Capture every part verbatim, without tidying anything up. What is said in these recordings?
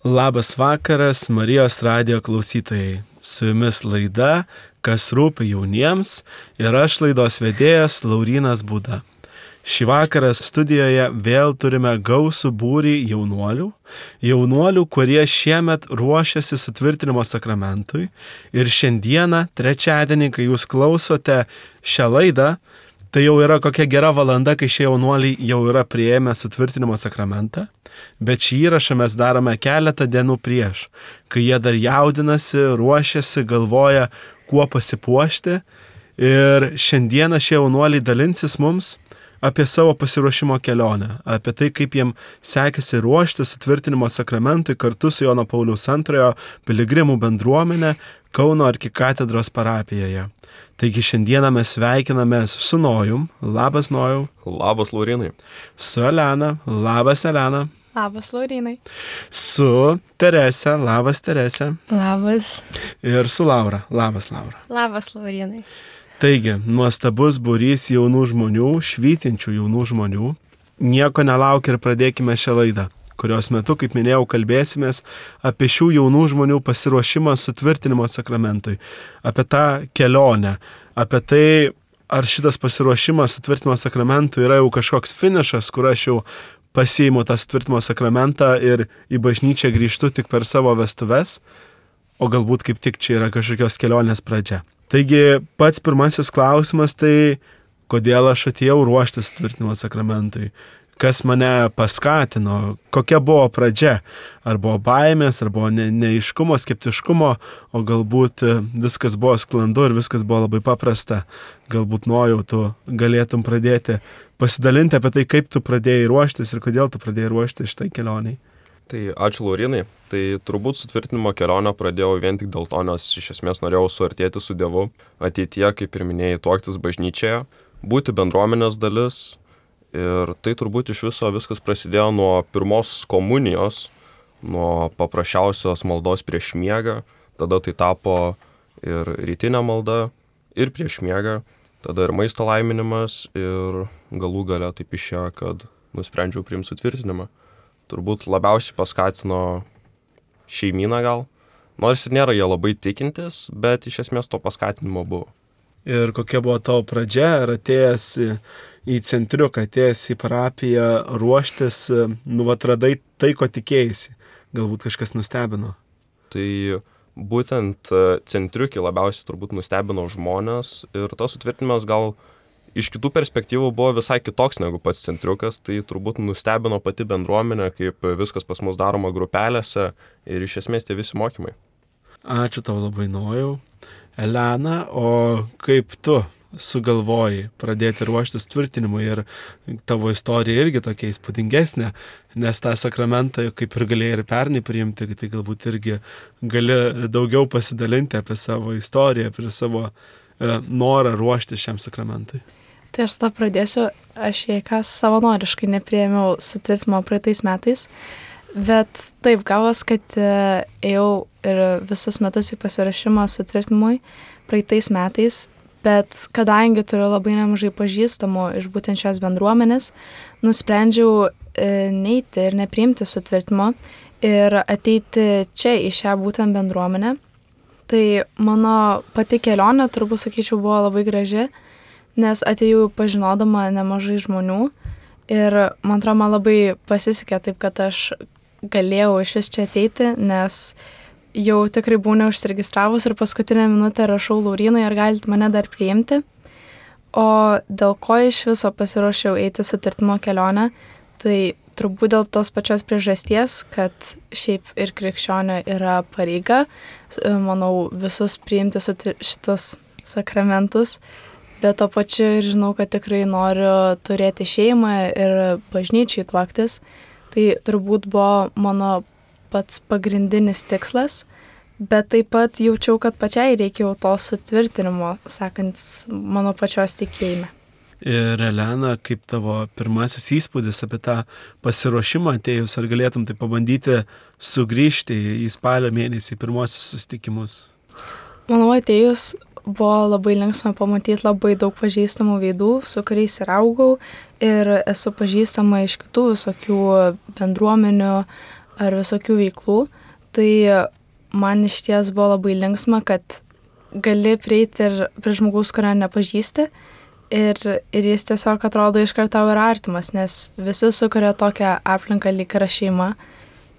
Labas vakaras, Marijos radijo klausytojai. Su jumis laida, kas rūpi jauniems, ir aš laidos vedėjas Laurynas Būda. Šį vakarą studijoje vėl turime gausų būrį jaunuolių, jaunuolių, kurie šiemet ruošiasi sutvirtinimo sakramentui. Ir šiandieną, trečiadienį, kai jūs klausote šią laidą, tai jau yra kokia gera valanda, kai šie jaunuoliai jau yra priėmę sutvirtinimo sakramentą, bet šį įrašą mes darome keletą dienų prieš, kai jie dar jaudinasi, ruošiasi, galvoja, kuo pasipuošti. Ir šiandieną šie jaunuoliai dalinsis mums apie savo pasiruošimo kelionę, apie tai, kaip jiem sekėsi ruošti sutvirtinimo sakramentui kartu su Jono Pauliaus antrojo piligrimų bendruomenė Kauno arkikatedros parapijoje. Taigi šiandieną mes sveikinamės su Nojum. Labas, Nojau. Labas, Laurinai. Su Elena. Labas, Elena. Labas, Laurinai. Su Terese. Labas, Terese. Labas. Ir su Laura. Labas, Laura. Labas, Laurinai. Taigi, nuostabus būrys jaunų žmonių, švytinčių jaunų žmonių. Nieko nelauk ir pradėkime šią laidą, kurios metu, kaip minėjau, kalbėsimės apie šių jaunų žmonių pasiruošimą sutvirtinimo sakramentui, apie tą kelionę, apie tai, ar šitas pasiruošimas sutvirtinimo sakramentui yra jau kažkoks finišas, kur aš jau pasiimu tą sutvirtinimo sakramentą ir į bažnyčią grįžtu tik per savo vestuves, o galbūt kaip tik čia yra kažkokios kelionės pradžia. Taigi pats pirmasis klausimas tai, kodėl aš atėjau ruoštis sutvirtinimo sakramentui, kas mane paskatino, kokia buvo pradžia, ar buvo baimės, ar buvo ne, neaiškumo, skeptiškumo, o galbūt viskas buvo sklandu ir viskas buvo labai paprasta. Galbūt Nojau, tu galėtum pradėti pasidalinti apie tai, kaip tu pradėjai ruoštis ir kodėl tu pradėjai ruoštis šitai kelioniai. Tai ačiū, Laurinai. Tai turbūt sutvirtinimo kelionę pradėjau vien tik dėl to, nes iš esmės norėjau suartėti su Dievu, ateityje, kaip ir minėjai, tuoktis bažnyčioje, būti bendruomenės dalis. Ir tai turbūt iš viso viskas prasidėjo nuo pirmos komunijos, nuo paprasčiausios maldos prieš miegą, tada tai tapo ir rytinė malda, ir prieš miegą, tada ir maisto laiminimas, ir galų gale taip išėjo, kad nusprendžiau priimti sutvirtinimą. Turbūt labiausiai paskatino šeimyną gal, nors ir nėra jie labai tikintis, bet iš esmės to paskatinimo buvo. Ir kokia buvo tavo pradžia, ar atėjęs į centriuką, atėjęs į parapiją ruoštis, nu atradai tai, ko tikėjaisi, galbūt kažkas nustebino? Tai būtent centriukį labiausiai turbūt nustebino žmonės ir tas sutvirtinimas gal iš kitų perspektyvų buvo visai kitoks negu pats centriukas, tai turbūt nustebino pati bendruomenė, kaip viskas pas mus daroma grupelėse ir iš esmės tie visi mokymai. Ačiū tau labai, Nojau. Elena, o kaip tu sugalvojai pradėti ruoštis tvirtinimui ir tavo istorija irgi tokia įspūdingesnė, nes tą sakramentą kaip ir galėjai ir pernai priimti, tai galbūt irgi gali daugiau pasidalinti apie savo istoriją, apie savo e, norą ruoštis šiam sakramentui. Tai aš tą pradėsiu, aš jei kas savanoriškai nepriėmiau sutvirtinimo praeitais metais, bet taip gavos, kad ėjau ir visus metus į pasirašymą sutvirtinimui praeitais metais, bet kadangi turiu labai nemažai pažįstamų iš būtent šios bendruomenės, nusprendžiau neiti ir nepriimti sutvirtinimo ir ateiti čia į šią būtent bendruomenę. Tai mano pati kelionė, turbūt sakyčiau, buvo labai graži, nes atėjau pažinodama nemažai žmonių ir man atrodo, man labai pasisekė taip, kad aš galėjau iš vis čia ateiti, nes jau tikrai buvau neužsiregistravus ir paskutinę minutę rašau Laurynai, ar galite mane dar priimti. O dėl ko iš viso pasiruošiau eiti sutvirtinimo kelionę, tai turbūt dėl tos pačios priežasties, kad šiaip ir krikščionio yra pareiga, manau, visus priimti šitus sakramentus, bet to pačiu ir žinau, kad tikrai noriu turėti šeimą ir bažnyčiai tuoktis. Tai turbūt buvo mano pats pagrindinis tikslas, bet taip pat jaučiau, kad pačiai reikėjo to sutvirtinimo, sakant, mano pačios tikėjime. Ir Elena, kaip tavo pirmasis įspūdis apie tą pasiruošimą atėjus, ar galėtum tai pabandyti sugrįžti į spalio mėnesį pirmosius susitikimus? Manau, atėjus buvo labai linksma pamatyti labai daug pažįstamų veidų, su kuriais ir augau ir esu pažįstama iš kitų visokių bendruomenių, ar visokių veiklų, tai man iš ties buvo labai linksma, kad gali prieiti ir prie žmogaus, kurio nepažįsti ir, ir jis tiesiog atrodo iškart tau yra artimas, nes visi sukuria tokią aplinką lyg yra šeima.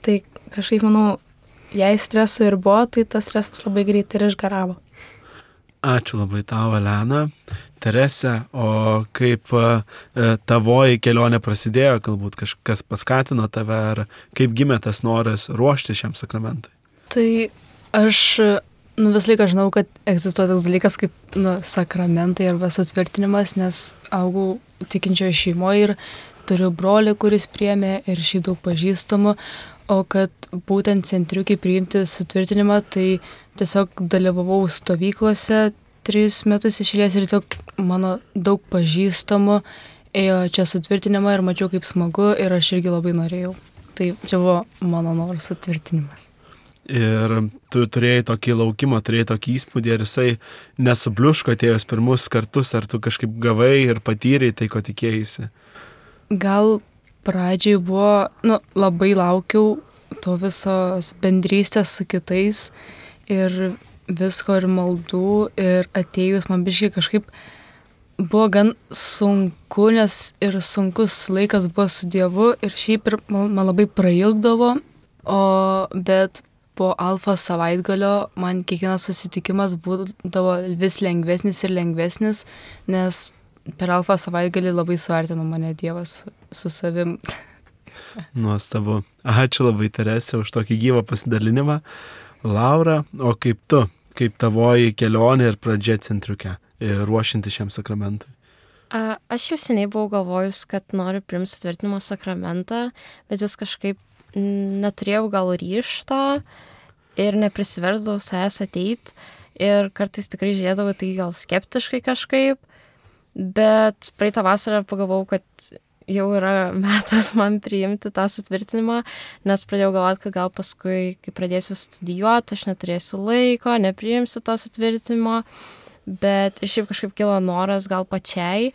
Tai kažkaip, manau, jei streso ir buvo, tai tas stresas labai greit ir išgaravo. Ačiū labai tau, Elena. Terese, o kaip e, tavoji kelionė prasidėjo, galbūt kažkas paskatino tave, ar kaip gimė tas noras ruošti šiam sakramentui? Tai aš nu, vis laiką žinau, kad egzistuoja toks dalykas kaip nu, sakramentai arba sutvirtinimas, nes augau tikinčioje šeimoje ir turiu brolį, kuris priėmė ir šiaip daug pažįstamų, o kad būtent centriukai priimti sutvirtinimą, tai tiesiog dalyvavau stovyklose trijus metus išėlės ir tiesiog mano daug pažįstamų ėjo čia sutvirtinimą ir mačiau kaip smagu ir aš irgi labai norėjau. Tai čia buvo mano noras sutvirtinimas. Ir tu turėjai tokį laukimą, turėjai tokį įspūdį, ir jisai nesubliuško atėjus pirmus kartus, ar tu kažkaip gavai ir patyrei tai, ko tikėjaisi? Gal pradžiai buvo, nu, labai laukiau to visos bendrystės su kitais ir visko ir maldų, ir atėjus man biškai kažkaip buvo gan sunku, nes ir sunkus laikas buvo su Dievu ir šiaip ir man, man labai prailgdavo, o bet po alfa savaitgalio man kiekvienas susitikimas būdavo vis lengvesnis ir lengvesnis, nes per alfa savaitgalį labai suartino mane Dievas su savim. Nuostabu. Ačiū labai, Terese, už tokį gyvą pasidalinimą. Laura, o kaip tu, kaip tavoji kelionė ir pradžia centriuke, ruošinti šiam sakramentui? A, aš jau seniai buvau galvojus, kad noriu priimti sutvirtinimo sakramentą, bet vis kažkaip neturėjau gal ryžto ir neprisiversdavau savęs ateit ir kartais tikrai žiūrėdavau tai gal skeptiškai kažkaip, bet praeitą vasarą pagalvojau, kad jau yra metas man priimti tą sutvirtinimą, nes pradėjau galvoti, kad gal paskui, kai pradėsiu studijuoti, aš neturėsiu laiko, nepriimsiu to sutvirtinimo, bet ir šiaip kažkaip kilo noras gal pačiai,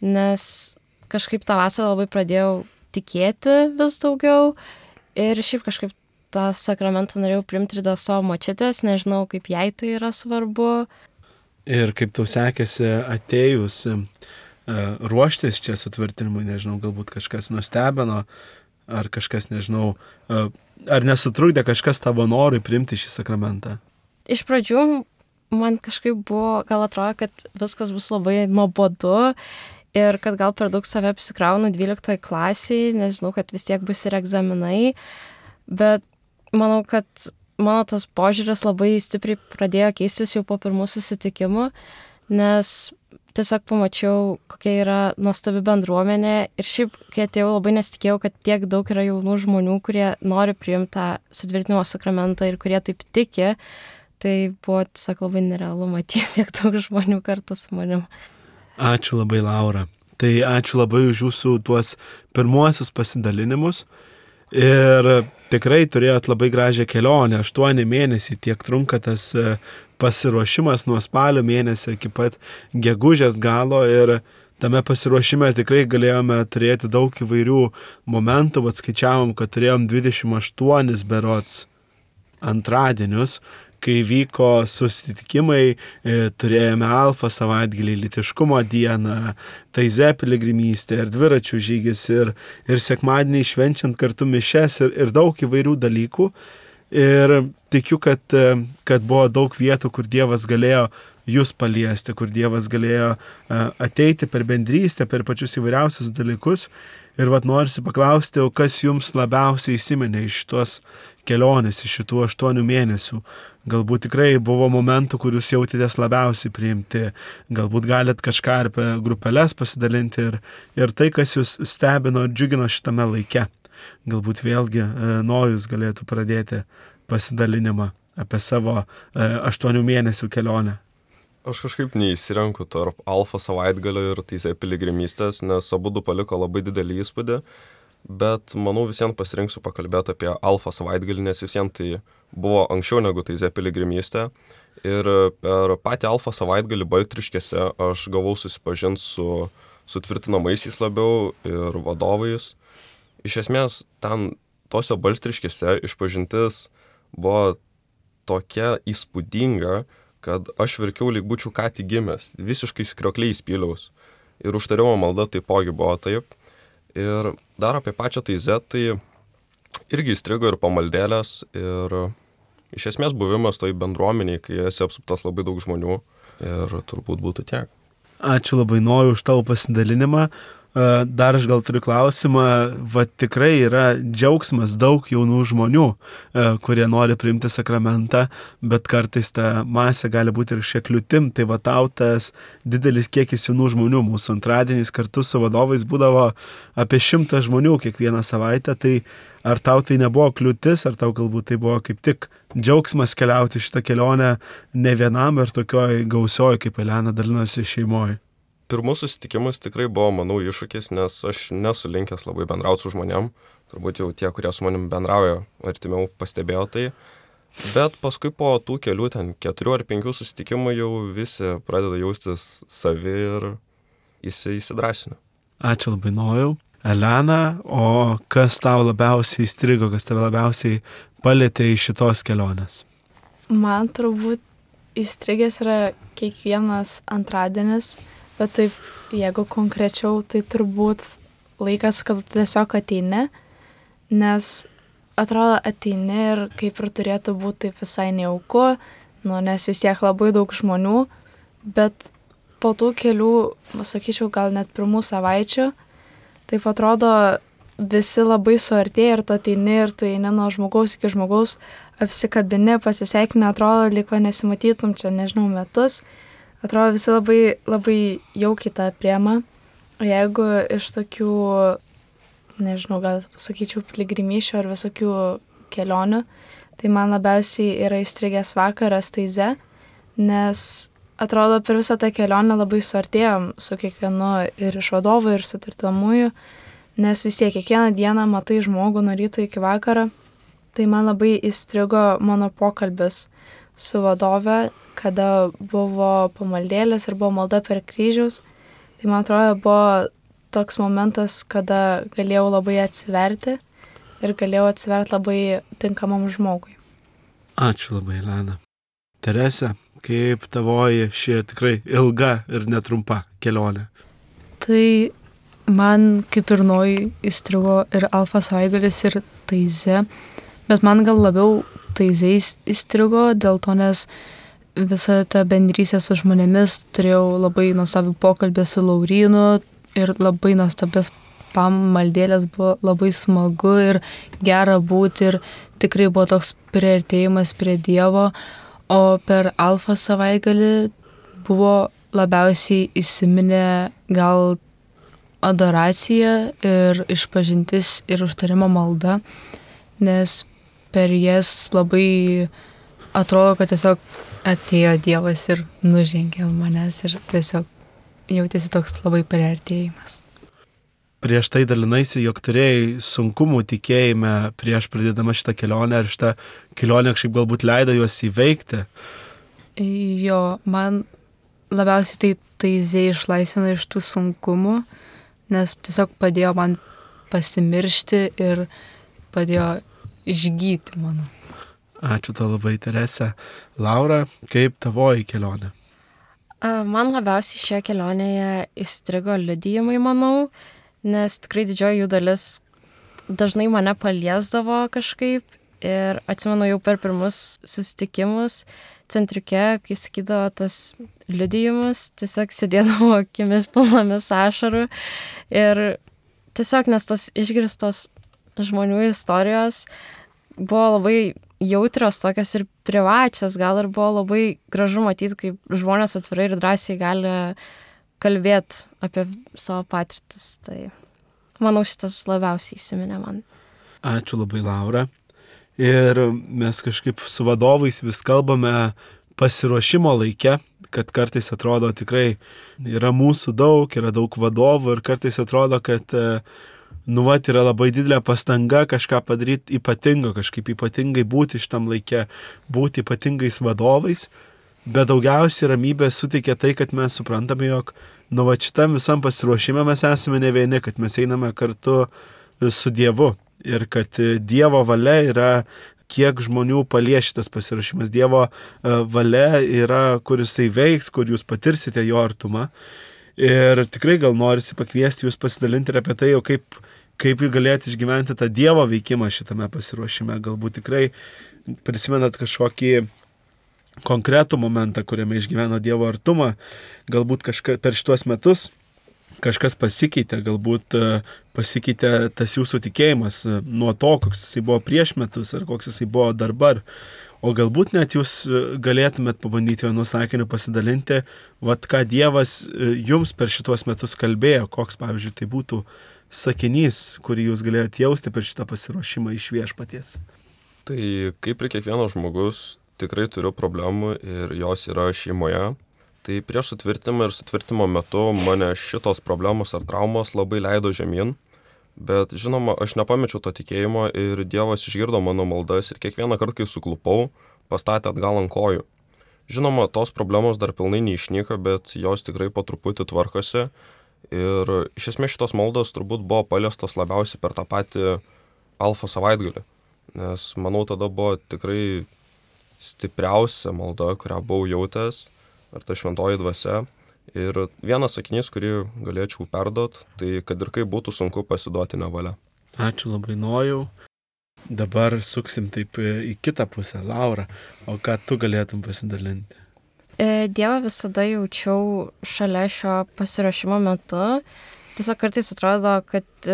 nes kažkaip tą vasarą labai pradėjau tikėti vis daugiau ir šiaip kažkaip tą sakramentą norėjau priimti ir dėl savo močiutės, nežinau, kaip jai tai yra svarbu. Ir kaip tau sekėsi atėjus ruoštis čia sutvirtinimui, nežinau, galbūt kažkas nustebino, ar kažkas, nežinau, ar nesutrukdė kažkas tavo norui priimti šį sakramentą? Iš pradžių man kažkaip buvo, gal atrodo, kad viskas bus labai nuobodu ir kad gal per daug save apsikraunu dvyliktoj klasiai, nežinau, kad vis tiek bus ir egzaminai, bet manau, kad mano tas požiūris labai stipriai pradėjo keistis jau po pirmų susitikimų, nes tiesiog pamačiau, kokia yra nuostabi bendruomenė ir šiaip, kai atėjau, labai nesitikėjau, kad tiek daug yra jaunų žmonių, kurie nori priimti tą sutvirtinimo sakramentą ir kurie taip tiki, tai buvo tiesiog labai nerealu matyti tiek daug žmonių kartu su manim. Ačiū labai, Laura. Tai ačiū labai už jūsų tuos pirmuosius pasidalinimus ir tikrai turėjot labai gražią kelionę, aštuoni mėnesiai tiek trunka tas pasiruošimas nuo spalio mėnesio iki pat gegužės galo ir tame pasiruošime tikrai galėjome turėti daug įvairių momentų, bet skaičiavom, kad turėjom dvidešimt aštuonis berods antradienius, kai vyko susitikimai, turėjome alfa savaitgalį, lytiškumo dieną, taize piligrimystė ir dviračių žygis ir, ir sekmadienį švenčiant kartu mišes ir, ir daug įvairių dalykų. Ir tikiu, kad, kad buvo daug vietų, kur Dievas galėjo jūs paliesti, kur Dievas galėjo ateiti per bendrystę, per pačius įvairiausius dalykus. Ir vat norisi paklausti, o kas jums labiausiai įsiminė iš tos kelionės, iš šitų aštuonių mėnesių. Galbūt tikrai buvo momentų, kur jūs jautėtės labiausiai priimti. Galbūt galit kažką apie grupeles pasidalinti ir, ir tai, kas jūs stebino ir džiugino šitame laike. Galbūt vėlgi Nojus galėtų pradėti pasidalinimą apie savo aštuonių mėnesių kelionę. Aš kažkaip neįsirenku tarp alfa savaitgalio ir teisė piligrimystės, nes abudu paliko labai didelį įspūdį, bet manau visiems pasirinksiu pakalbėti apie alfa savaitgalį, nes visiems tai buvo anksčiau negu teisė piligrimystė. Ir per patį alfa savaitgalį Baltriškėse aš gavau susipažinti su sutvirtinamaisiais labiau ir vadovais. Iš esmės, ten tose Balstriškėse išpažintis buvo tokia įspūdinga, kad aš verkiau lyg būčiau ką tik gimęs, visiškai skriokliais pyliaus. Ir užtarimo malda taipogi buvo taip. Ir dar apie pačią taizę, tai irgi įstrigo ir pamaldėlės, ir iš esmės buvimas toj bendruomeniai, kai esi apsuptas labai daug žmonių, ir turbūt būtų tiek. Ačiū labai Nojau už tavo pasidalinimą. Dar aš gal turiu klausimą, va tikrai yra džiaugsmas daug jaunų žmonių, kurie nori priimti sakramentą, bet kartais ta masė gali būti ir šiek kliūtim, tai va tau tas didelis kiekis jaunų žmonių, mūsų antradieniais kartu su vadovais būdavo apie šimtą žmonių kiekvieną savaitę, tai ar tau tai nebuvo kliūtis, ar tau galbūt tai buvo kaip tik džiaugsmas keliauti šitą kelionę ne vienam ir tokioj gausioj, kaip Elena dalinosi šeimoje? Pirmus susitikimus tikrai buvo, manau, iššūkis, nes aš nesu linkęs labai bendrauti su žmonėm. Turbūt jau tie, kurie su manim bendrauja, artimiau pastebėjo tai. Bet paskui po tų kelių, ten keturių ar penkių susitikimų jau visi pradeda jaustis savi ir įsi, įsidrasina. Ačiū labai Nojau. Elena, o kas tau labiausiai įstrigo, kas tave labiausiai palėtė iš šitos kelionės? Man turbūt įstrigęs yra kiekvienas antradienis. Bet taip, jeigu konkrečiau, tai turbūt laikas, kad tu tiesiog ateini, nes atrodo ateini ir kaip ir turėtų būti taip visai nejauku, nu, nes vis tiek labai daug žmonių, bet po tų kelių, sakyčiau, gal net pirmų savaičių, taip atrodo visi labai suartėja ir tu ateini ir tu eini nuo žmogaus iki žmogaus, apsikabini, pasisveikini, atrodo, liko nesimatytum čia, nežinau, metus. Atrodo, visi labai, labai jaukiai tą priema. O jeigu iš tokių, nežinau, gal sakyčiau, piligrimyšių ar visokių kelionių, tai man labiausiai yra įstrigęs vakaras taize, nes atrodo, per visą tą kelionę labai suartėjom su kiekvienu ir iš vadovų, ir su tardomųjų, nes vis tiek kiekvieną dieną matai žmogų nuo ryto iki vakaro. Tai man labai įstrigo mano pokalbis su vadove, kada buvo pamaldėlės ir buvo malda per kryžiaus. Tai man atrodo, buvo toks momentas, kada galėjau labai atsiverti ir galėjau atsiverti labai tinkamam žmogui. Ačiū labai, Elena. Terese, kaip tavoji ši tikrai ilga ir netrumpa kelionė? Tai man kaip ir Nojui įstrigo ir Alfa savaitgalis ir taize, bet man gal labiau taizės įstrigo, dėl to, nes visą tą bendrystę su žmonėmis turėjau labai nuostabių pokalbį su Laurynu ir labai nuostabės pamaldėlės, buvo labai smagu ir gera būti ir tikrai buvo toks priartėjimas prie Dievo, o per Alfa savaitgalį buvo labiausiai įsiminę gal adoracija ir išpažintis ir užtarimo malda, nes per jas labai atrodo, kad tiesiog atėjo Dievas ir nužengė manęs ir tiesiog jautėsi toks labai priartėjimas. Prieš tai dalinaisi, jog turėjai sunkumų tikėjime prieš pradėdama šitą kelionę, ar šitą kelionę kažkaip galbūt leido juos įveikti? Jo, man labiausiai tai taizė išlaisvino iš tų sunkumų, nes tiesiog padėjo man pasimiršti ir padėjo išgyti mano. Ačiū tau labai, Terese. Laura, kaip tavoji kelionė? Man labiausiai šioje kelionėje įstrigo liudijimai, manau, nes tikrai didžioji jų dalis dažnai mane paliesdavo kažkaip ir atsimenu jau per pirmus susitikimus centriuke, kai sakydavo tos liudijimus, tiesiog sėdėdavo akimis pilnomis ašarų ir tiesiog nes tos išgirstos žmonių istorijos buvo labai jautrios, tokios ir privačios, gal ir buvo labai gražu matyti, kaip žmonės atvirai ir drąsiai gali kalbėti apie savo patirtis. Tai manau, šitas labiausiai įsiminė man. Ačiū labai, Laura. Ir mes kažkaip su vadovais vis kalbame pasiruošimo laike, kad kartais atrodo tikrai yra mūsų daug, yra daug vadovų ir kartais atrodo, kad nu, vat, yra labai didelė pastanga kažką padaryti ypatingo, kažkaip ypatingai būti šitam laike, būti ypatingais vadovais, bet daugiausiai ramybės suteikia tai, kad mes suprantame, jog nu, vat, šitam visam pasiruošime mes esame ne vieni, kad mes einame kartu su Dievu ir kad Dievo valia yra, kiek žmonių palies šitas pasiruošimas. Dievo valia yra, kur jisai veiks, kur jūs patirsite jo artumą. Ir tikrai gal norisi pakviesti jūs pasidalinti ir apie tai, jau kaip, kaip jūs galėtumėte išgyventi tą Dievo veikimą šitame pasiruošime. Galbūt tikrai prisimenat kažkokį konkretų momentą, kuriame išgyveno Dievo artumą. Galbūt kažka, per šituos metus kažkas pasikeitė, galbūt pasikeitė tas jūsų tikėjimas nuo to, koks jisai buvo prieš metus ar koks jisai buvo dabar. O galbūt net jūs galėtumėt pabandyti vienu sakiniu pasidalinti, vat ką Dievas jums per šituos metus kalbėjo, koks, pavyzdžiui, tai būtų sakinys, kurį jūs galėjote jausti per šitą pasiruošimą iš Viešpaties. Tai kaip ir kiekvienas žmogus, tikrai turiu problemų ir jos yra šeimoje. Tai prieš sutvirtimą ir sutvirtimo metu mane šitos problemos ar traumos labai leido žemyn. Bet žinoma, aš nepamečiau to tikėjimo ir Dievas išgirdo mano maldas ir kiekvieną kartą, kai suklupau, pastatė atgal ant kojų. Žinoma, tos problemos dar pilnai neišnyka, bet jos tikrai po truputį tvarkosi. Ir iš esmės šitos maldos turbūt buvo paliestos labiausiai per tą patį alfa savaitgalį. Nes manau, tada buvo tikrai stipriausia malda, kurią buvau jautęs, ar ta šventoji dvasia. Ir vienas sakinys, kurį galėčiau perduot, tai kad ir kaip būtų sunku pasiduoti nevalia. Ačiū labai, Nojau. Dabar suksim taip į kitą pusę. Laura, o ką tu galėtum pasidalinti? Dievą visada jaučiau šalia šio pasiruošimo metu. Tiesiog kartais atrodo, kad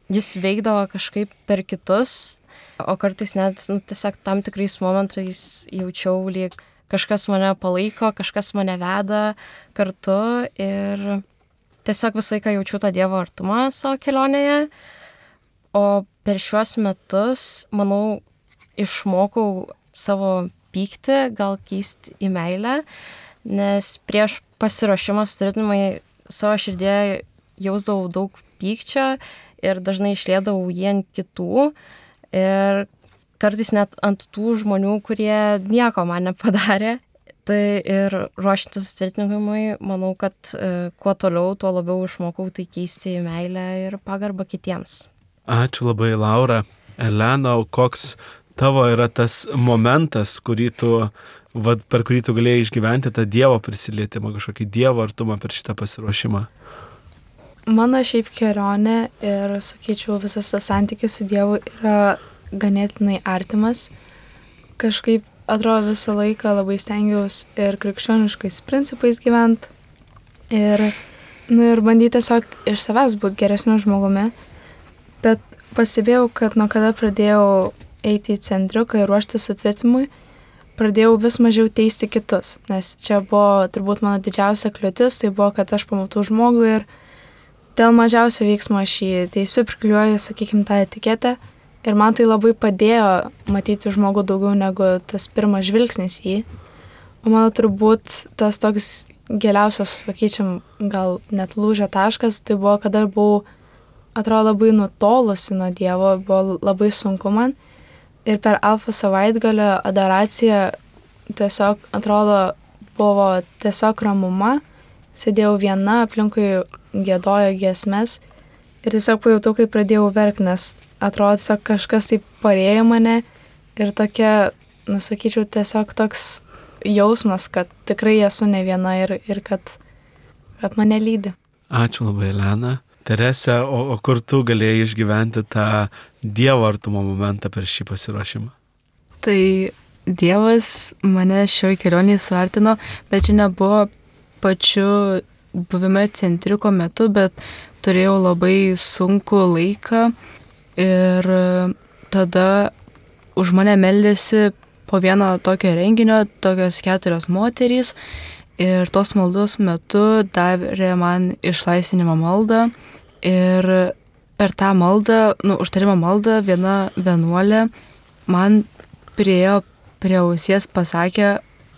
jis veikdavo kažkaip per kitus, o kartais net nu, tiesiog tam tikrais momentais jaučiau lyg kažkas mane palaiko, kažkas mane veda kartu ir tiesiog visą laiką jaučiu tą Dievo artumą savo kelionėje. O per šiuos metus, manau, išmokau savo pyktį, gal keisti į meilę, nes prieš pasiruošimą sutvirtinimui savo širdėje jausdavau daug pykčio ir dažnai išliedavau jį ant kitų ir kartais net ant tų žmonių, kurie nieko man nepadarė. Tai ir ruošiantis sutvirtinimui, manau, kad e, kuo toliau, tuo labiau išmokau tai keisti į meilę ir pagarbą kitiems. Ačiū labai, Laura. Elena, koks tavo yra tas momentas, kurį tu, va, per kurį tu galėjai išgyventi tą Dievo prisilietimą, kažkokį Dievo artumą per šitą pasiruošimą? Mano šiaip kelionė ir, sakyčiau, visas tas santykis su Dievu yra ganėtinai artimas. Kažkaip atrodo visą laiką labai stengiausi ir krikščioniškais principais gyventi ir, nu, ir bandyti tiesiog iš savęs būti geresniu žmogumi. Bet pasibėjau, kad nuo kada pradėjau eiti į centriuką ir ruošti sutvirtinimui, pradėjau vis mažiau teisti kitus. Nes čia buvo turbūt mano didžiausia kliūtis, tai buvo, kad aš pamatau žmogų ir dėl mažiausio veiksmo aš jį teisiu, prikliuoju, sakykime, tą etiketę. Ir man tai labai padėjo matyti žmogų daugiau negu tas pirmas žvilgsnis jį. O mano turbūt tas toks giliausias, sakyčiam, gal net lūžio taškas, tai buvo, kada buvau, atrodo, labai nutolusi nuo Dievo, buvo labai sunku man. Ir per alfa savaitgalio adoraciją tiesiog, atrodo, buvo tiesiog ramuma. Sėdėjau viena, aplinkui giedojo giesmes ir tiesiog pajutau, kai pradėjau verkti, nes atrodo, tiesiog kažkas taip parėjo mane ir tokia, na, sakyčiau, tiesiog toks jausmas, kad tikrai esu ne viena ir, ir kad, kad mane lydi. Ačiū labai, Elena. Terese, o, o kur tu galėjai išgyventi tą Dievo artumo momentą per šį pasiruošimą? Tai Dievas mane šioje kelionėje suartino, bet čia nebuvo pačiu buvime centriuko metu, bet turėjau labai sunku laiką ir tada už mane meldėsi po vieno tokio renginio tokios keturios moterys ir tos maldos metu davė man išlaisvinimo maldą ir per tą maldą, nu, užtarimo maldą viena vienuolė man priėjo prie ausies, pasakė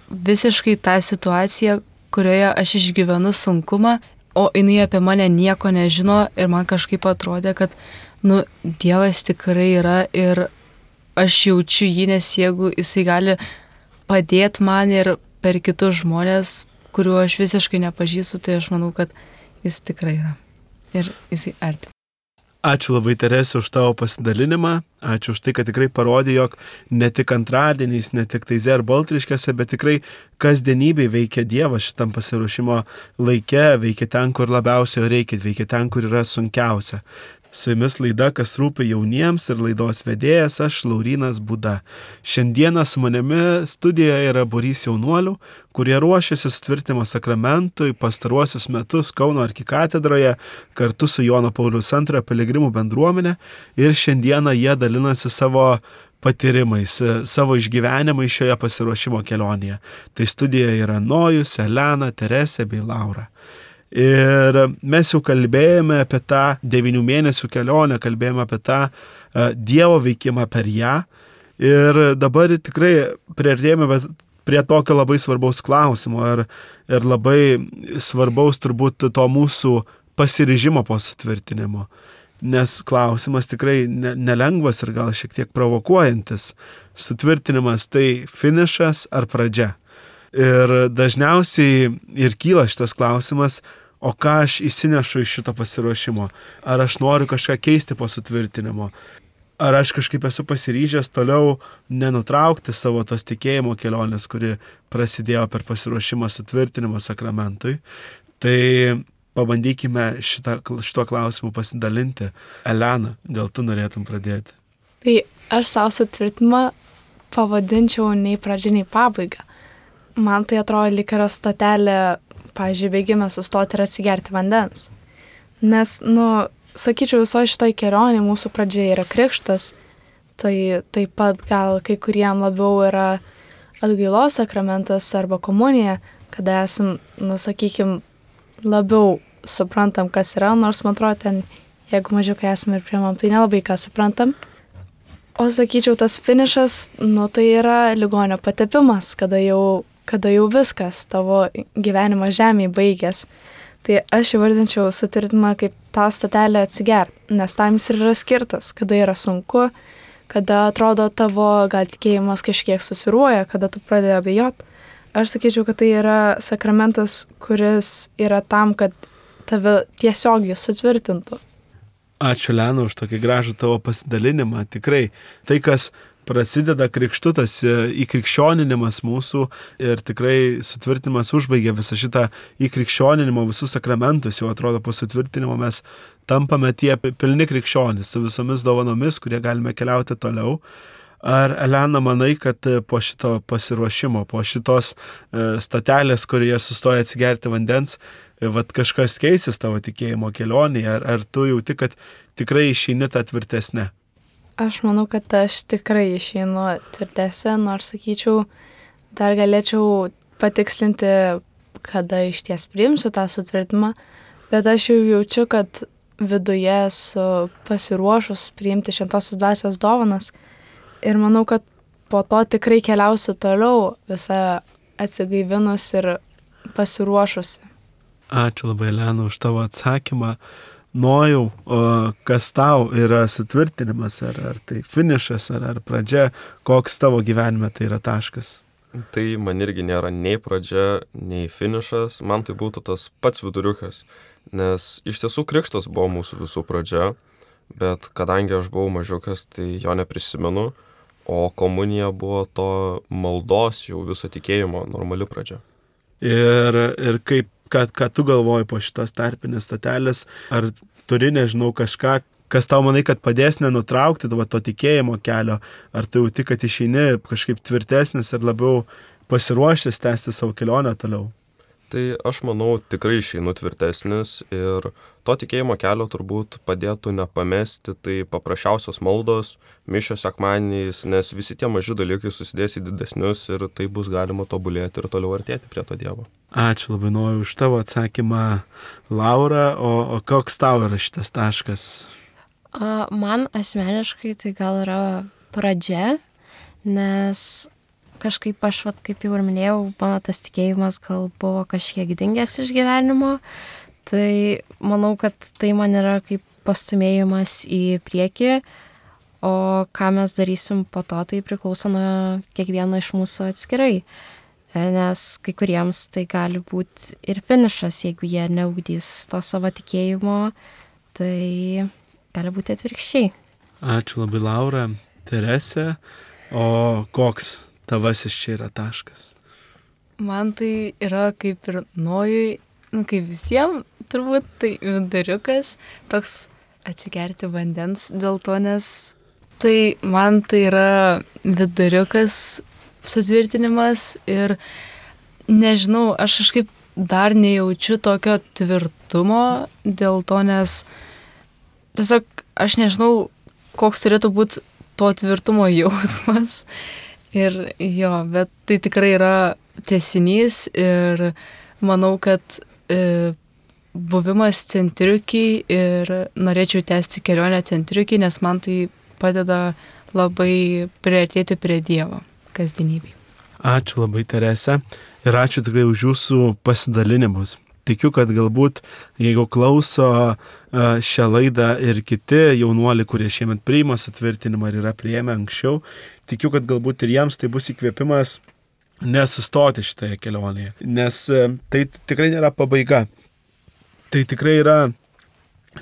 visiškai tą situaciją, kurioje aš išgyvenu sunkumą, o jinai apie mane nieko nežino ir man kažkaip atrodė, kad, nu, Dievas tikrai yra ir aš jaučiu jį, nes jeigu jisai gali padėti man ir per kitus žmonės, kuriuo aš visiškai nepažįstu, tai aš manau, kad jis tikrai yra ir jisai arti. Ačiū labai, Teresė, už tavo pasidalinimą. Ačiū už tai, kad tikrai parodė, jog ne tik antradieniais, ne tik Taize ar Baltriškėse, bet tikrai kasdienybėj veikia Dievas šitam pasiruošimo laike, veikia ten, kur labiausiai reikia, veikia ten, kur yra sunkiausia. Su jumis laida, kas rūpi jauniems, ir laidos vedėjas aš, Laurynas Būda. Šiandieną su manimi studijoje yra būrys jaunuolių, kurie ruošiasi sutvirtinimo sakramentui pastaruosius metus Kauno arkikatedroje kartu su Jono Pauliaus antrojo piligrimų bendruomenė, ir šiandieną jie dalinasi savo patyrimais, savo išgyvenimais šioje pasiruošimo kelionėje. Tai studijoje yra Nojus, Elena, Teresė bei Laura. Ir mes jau kalbėjome apie tą devynių mėnesių kelionę, kalbėjome apie tą uh, Dievo veikimą per ją. Ir dabar tikrai priartėjome prie tokio labai svarbaus klausimo ir, ir labai svarbaus turbūt to mūsų pasiryžimo po sutvirtinimo. Nes klausimas tikrai ne, nelengvas ir gal šiek tiek provokuojantis. Sutvirtinimas tai finišas ar pradžia? Ir dažniausiai ir kyla šitas klausimas, o ką aš įsinešu iš šito pasiruošimo? Ar aš noriu kažką keisti po sutvirtinimo? Ar aš kažkaip esu pasiryžęs toliau nenutraukti savo tos tikėjimo kelionės, kuri prasidėjo per pasiruošimą sutvirtinimo sakramentui? Tai pabandykime šitą, šituo klausimu pasidalinti. Elena, gal tu norėtum pradėti? Tai aš savo sutvirtinimą pavadinčiau nei pradžia, nei pabaiga. Man tai atrodo lyg yra stotelė, pavyzdžiui, bėgime sustoti ir atsigerti vandens. Nes, nu, sakyčiau, visoje šitoj kelionėje mūsų pradžia yra krikštas, tai taip pat gal kai kuriem labiau yra atgailos sakramentas arba komunija, kada esam, nu, sakykim, labiau suprantam, kas yra, nors man atrodo ten, jeigu mažiukai esame ir priimam, tai nelabai ką suprantam. O sakyčiau, tas finišas, nu, tai yra ligonio patepimas, kada jau kada jau viskas, tavo gyvenimo žemėje baigės. Tai aš įvardinčiau sutvirtinimą kaip tą stotelę atsigert, nes tam jis ir yra skirtas, kada yra sunku, kada atrodo tavo gal tikėjimas kažkiek susiruoja, kada tu pradedi abejot. Aš sakyčiau, kad tai yra sakramentas, kuris yra tam, kad tave tiesiog jis sutvirtintų. Ačiū, Lena, už tokį gražų tavo pasidalinimą. Tikrai tai, kas prasideda krikštu, tas įkrikščioninimas mūsų, ir tikrai sutvirtinimas užbaigia visą šitą įkrikščioninimo visus sakramentus. Jau atrodo, po sutvirtinimo mes tampame tie pilni krikščionys su visomis dovanomis, kurie galime keliauti toliau. Ar, Elena, manai, kad po šito pasiruošimo, po šitos statelės, kurioje sustoja atsigerti vandens, vat kažkas keisis tavo tikėjimo kelionėje, ar, ar tu jauti, kad tikrai išeini tą tvirtesnę? Aš manau, kad aš tikrai išeinu tvirtesnė, nors, sakyčiau, dar galėčiau patikslinti, kada iš ties priimsiu tą sutvirtinimą, bet aš jau jaučiu, kad viduje esu pasiruošus priimti šventosios dvasios dovanas ir manau, kad po to tikrai keliausiu toliau visą atsigaivinus ir pasiruošusi. Ačiū labai, Elena, už tavo atsakymą. Nojau, o kas tau yra sutvirtinimas, ar, ar tai finišas, ar, ar pradžia, koks tavo gyvenime tai yra taškas? Tai man irgi nėra nei pradžia, nei finišas, man tai būtų tas pats viduriukas, nes iš tiesų krikštas buvo mūsų visų pradžia, bet kadangi aš buvau mažiukas, tai jo neprisimenu, o komunija buvo to maldos jau viso tikėjimo normali pradžia. Ir, ir kaip Ką, ką tu galvoji po šitos tarpinės statelės, ar turi, nežinau, kažką, kas tau manai, kad padės nenutraukti tavo to tikėjimo kelio, ar tu jauti, kad išeini kažkaip tvirtesnis ir labiau pasiruošęs tęsti savo kelionę toliau? Tai aš manau, tikrai išeinu tvirtesnis ir to tikėjimo kelio turbūt padėtų nepamesti, tai paprasčiausios maldos, mišios sekmadieniais, nes visi tie maži dalykai susidės į didesnius ir tai bus galima tobulėti ir toliau artėti prie to Dievo. Ačiū labai, Nojau, už tavo atsakymą, Laura, o, o koks tau yra šitas taškas? A, man asmeniškai tai gal yra pradžia, nes kažkaip aš, vat, kaip jau ir minėjau, mano tas tikėjimas gal buvo kažkiek dingęs iš gyvenimo, tai manau, kad tai man yra kaip pastumėjimas į priekį, o ką mes darysim po to, tai priklauso nuo kiekvieno iš mūsų atskirai, nes kai kuriems tai gali būti ir finišas, jeigu jie neugdys to savo tikėjimo, tai gali būti atvirkščiai. Ačiū labai, Laura. Teresė, o koks tavasis čia yra taškas? Man tai yra kaip ir Nojui, nu kaip visiems, turbūt tai viduriukas, toks atsigerti vandens dėl to, nes tai man tai yra viduriukas sutvirtinimas ir nežinau, aš kažkaip dar nejaučiu tokio tvirtumo dėl to, nes tiesiog aš nežinau, koks turėtų būti to tvirtumo jausmas. Ir jo, bet tai tikrai yra tęsinys ir manau, kad e, buvimas centriukiai ir norėčiau tęsti kelionę centriukiai, nes man tai padeda labai priartėti prie Dievo kasdienybėj. Ačiū labai, Terese, ir ačiū tikrai už jūsų pasidalinimus. Tikiu, kad galbūt, jeigu klauso šią laidą ir kiti jaunuoliai, kurie šiemet priima sutvirtinimą ir yra priėmę anksčiau, tikiu, kad galbūt ir jiems tai bus įkvėpimas nesustoti šitoje kelionėje, nes tai tikrai nėra pabaiga. Tai tikrai yra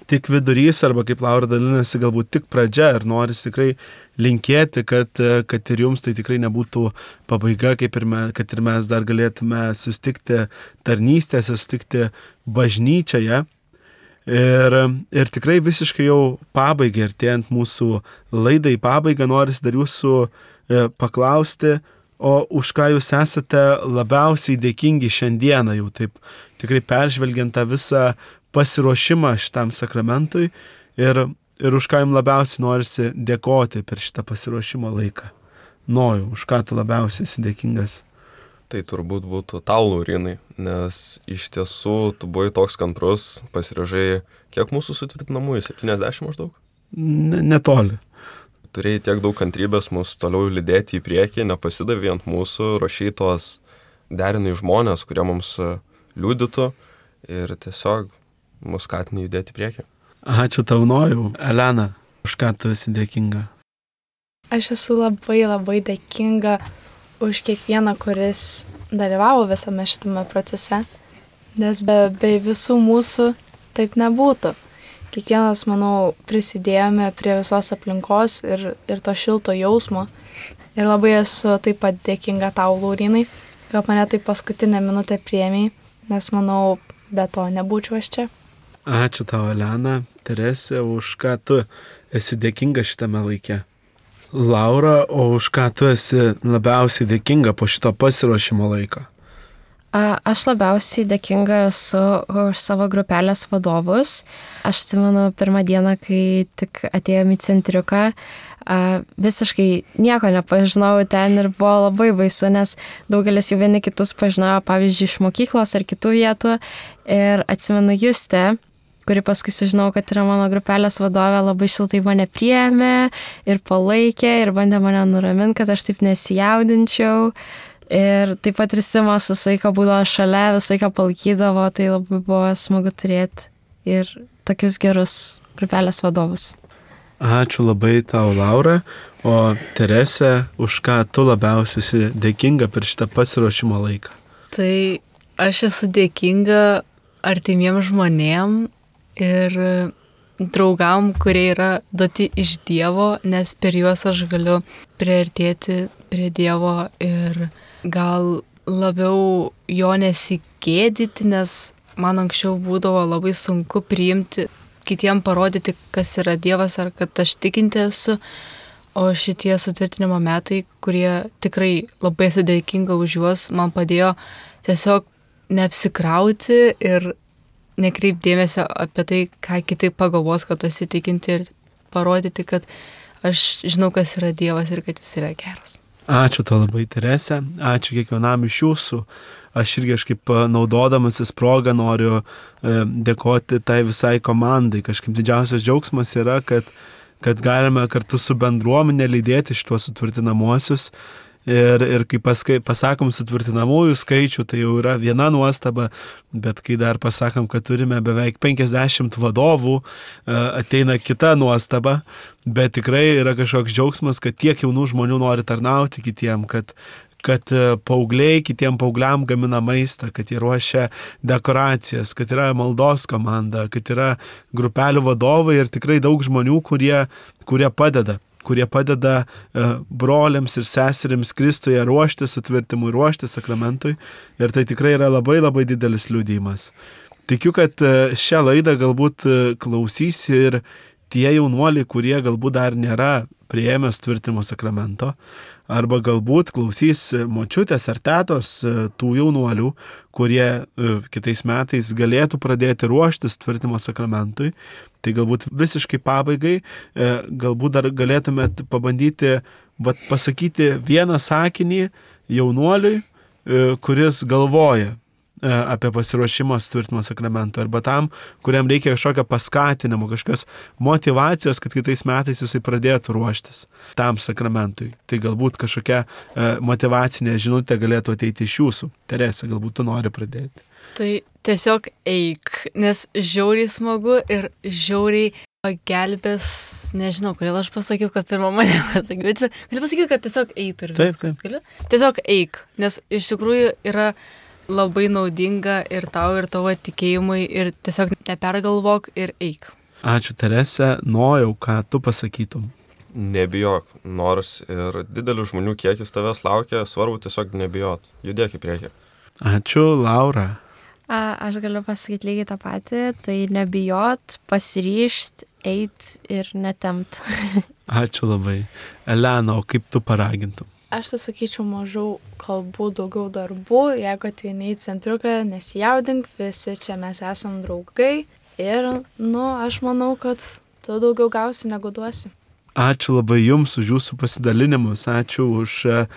tik vidurys arba, kaip Laura dalinasi, galbūt tik pradžia ir noris tikrai linkėti, kad, kad ir jums tai tikrai nebūtų pabaiga, kaip ir mes, kad ir mes dar galėtume sustikti tarnystėse, sustikti bažnyčioje. Ir, ir tikrai visiškai jau pabaigai, artėjant mūsų laidai pabaigą, noris dar jūsų paklausti, o už ką jūs esate labiausiai dėkingi šiandieną, jau taip tikrai peržvelgiant tą visą pasiruošimą šitam sakramentui ir, ir už ką jums labiausiai norisi dėkoti per šitą pasiruošimo laiką. Nojau, už ką tu labiausiai esi dėkingas? Tai turbūt būtų tau, Laurinai, nes iš tiesų tu buvai toks kantrus, pasiryžai, kiek mūsų sutvirtinamųjų, septyniasdešimt maždaug? Ne, netoli. Turėjai tiek daug kantrybės mus toliau lydėti į priekį, nepasidavė ant mūsų, rašai tos derinai žmonės, kurie mums liudytų ir tiesiog mus skatina judėti į priekį. Ačiū tau, Nojau. Elena, už ką tu esi dėkinga? Aš esu labai labai dėkinga už kiekvieną, kuris dalyvavo visame šitame procese, nes be, be visų mūsų taip nebūtų. Kiekvienas, manau, prisidėjome prie visos aplinkos ir, ir to šilto jausmo. Ir labai esu taip pat dėkinga tau, Laurinai, kad mane taip paskutinę minutę priėmei, nes, manau, be to nebūčiau aš čia. Ačiū tau, Elena. Teresė, už ką tu esi dėkinga šitame laike? Laura, o už ką tu esi labiausiai dėkinga po šito pasiruošimo laiko? A, aš labiausiai dėkinga esu už savo grupelės vadovus. Aš atsimenu pirmą dieną, kai tik atėjome į centriuką, a, visiškai nieko nepažinau ten ir buvo labai baisu, nes daugelis jau vieni kitus pažinojo, pavyzdžiui, iš mokyklos ar kitų vietų. Ir atsimenu Justę, kuri paskui sužinau, kad yra mano grupelės vadovė, labai šiltai mane priėmė ir palaikė ir bandė mane nuraminti, kad aš taip nesijaudinčiau. Ir taip pat ir Simas visą laiką būdavo šalia, visą laiką palaikydavo, tai labai buvo smagu turėti ir tokius gerus grupelės vadovus. Ačiū labai tau, Laura. O Teresė, už ką tu labiausiai esi dėkinga per šitą pasiruošimo laiką? Tai aš esu dėkinga artimiem žmonėm ir draugam, kurie yra duoti iš Dievo, nes per juos aš galiu priartėti prie Dievo ir gal labiau jo nesigėdyti, nes man anksčiau būdavo labai sunku priimti, kitiem parodyti, kas yra Dievas ar kad aš tikinti esu, o šitie sutvirtinimo metai, kurie tikrai labai esu dėkinga už juos, man padėjo tiesiog neapsikrauti ir nekreipdėmėsio apie tai, ką kiti pagalvos, kad esi tikinti ir parodyti, kad aš žinau, kas yra Dievas ir kad jis yra geras. Ačiū tau labai, Teresė. Ačiū kiekvienam iš jūsų. Aš irgi kažkaip naudodamasis progą noriu e, dėkoti tai visai komandai. Kažkaip didžiausias džiaugsmas yra, kad, kad galime kartu su bendruomenė lydėti šituos sutvirtinamuosius. Ir, ir kai paskai, pasakom sutvirtinamųjų skaičių, tai jau yra viena nuostaba, bet kai dar pasakom, kad turime beveik penkiasdešimt vadovų, ateina kita nuostaba, bet tikrai yra kažkoks džiaugsmas, kad tiek jaunų žmonių nori tarnauti kitiem, kad kad paaugliai kitiem paaugliam gamina maistą, kad jie ruošia dekoracijas, kad yra maldos komanda, kad yra grupelių vadovai ir tikrai daug žmonių, kurie, kurie padeda kurie padeda broliams ir seserims Kristuje ruošti sutvirtimui, ruošti sakramentui. Ir tai tikrai yra labai labai didelis liudijimas. Tikiu, kad šią laidą galbūt klausys ir tie jaunuoliai, kurie galbūt dar nėra priėmę sutvirtimo sakramento, arba galbūt klausys močiutės ar tetos tų jaunuolių, kurie kitais metais galėtų pradėti ruošti sutvirtimo sakramentui. Tai galbūt visiškai pabaigai, galbūt dar galėtumėt pabandyti vat, pasakyti vieną sakinį jaunuoliui, kuris galvoja apie pasiruošimą sutvirtimo sakramento, arba tam, kuriam reikia kažkokio paskatinimo, kažkokios motivacijos, kad kitais metais jisai pradėtų ruoštis tam sakramentui. Tai galbūt kažkokia motivacinė žinutė galėtų ateiti iš jūsų. Terese, galbūt tu nori pradėti. Tai tiesiog eik, nes žiauriai smagu ir žiauriai pagelbės, nežinau, kodėl aš pasakiau, kad pirmą mane pasakiau, bet galiu pasakyti, kad tiesiog eitų ir viskas. Taip, taip. Tiesiog eik, nes iš tikrųjų yra labai naudinga ir tau, ir tavo tikėjimui, ir tiesiog nepergalvok ir eik. Ačiū, Terese. Nojau, ką tu pasakytum. Nebijok, nors ir didelis žmonių kiekis tavęs laukia, svarbu tiesiog nebijot. Judėk į priekį. Ačiū, Laura. A, aš galiu pasakyti lygiai tą patį, tai nebijot, pasiryžt, eit ir netemt. Ačiū labai. Elena, o kaip tu paragintum? Aš tai sakyčiau, mažiau kalbų, daugiau darbų. Jeigu ateini į centriuką, nesijaudink, visi čia mes esam draugai. Ir, nu, aš manau, kad tu daugiau gausi, negu duosi. Ačiū labai Jums už Jūsų pasidalinimus. Ačiū už uh,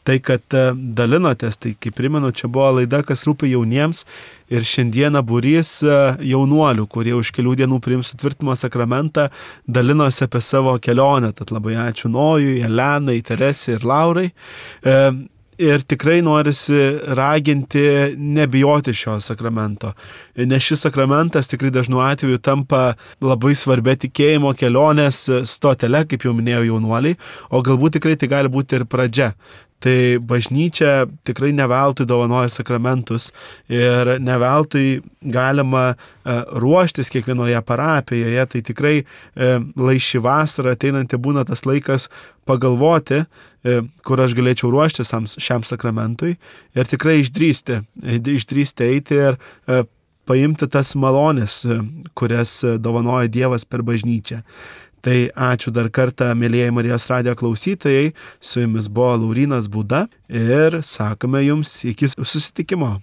tai, kad uh, dalinotės. Tai, kaip primenu, čia buvo laida, kas rūpi jauniems. Ir šiandieną būrys uh, jaunuolių, kurie už kelių dienų priims sutvirtimo sakramentą, dalinosi apie savo kelionę. Tad labai ačiū Nojui, Elenai, Teresei ir Laurai. Uh, Ir tikrai norisi raginti nebijoti šio sakramento, nes šis sakramentas tikrai dažnu atveju tampa labai svarbia tikėjimo kelionės stotele, kaip jau minėjau jaunuoliai, o galbūt tikrai tai gali būti ir pradžia. Tai bažnyčia tikrai neveltui dovanoja sakramentus ir neveltui galima ruoštis kiekvienoje parapijoje. Tai tikrai lai ši vasara ateinanti būna tas laikas pagalvoti, kur aš galėčiau ruoštis šiam sakramentui ir tikrai išdrįsti, išdrįsti eiti ir paimti tas malonės, kurias dovanoja Dievas per bažnyčią. Tai ačiū dar kartą, mėlyjeji Marijos radijo klausytojai, su jumis buvo Laurynas Būda ir sakome jums iki susitikimo.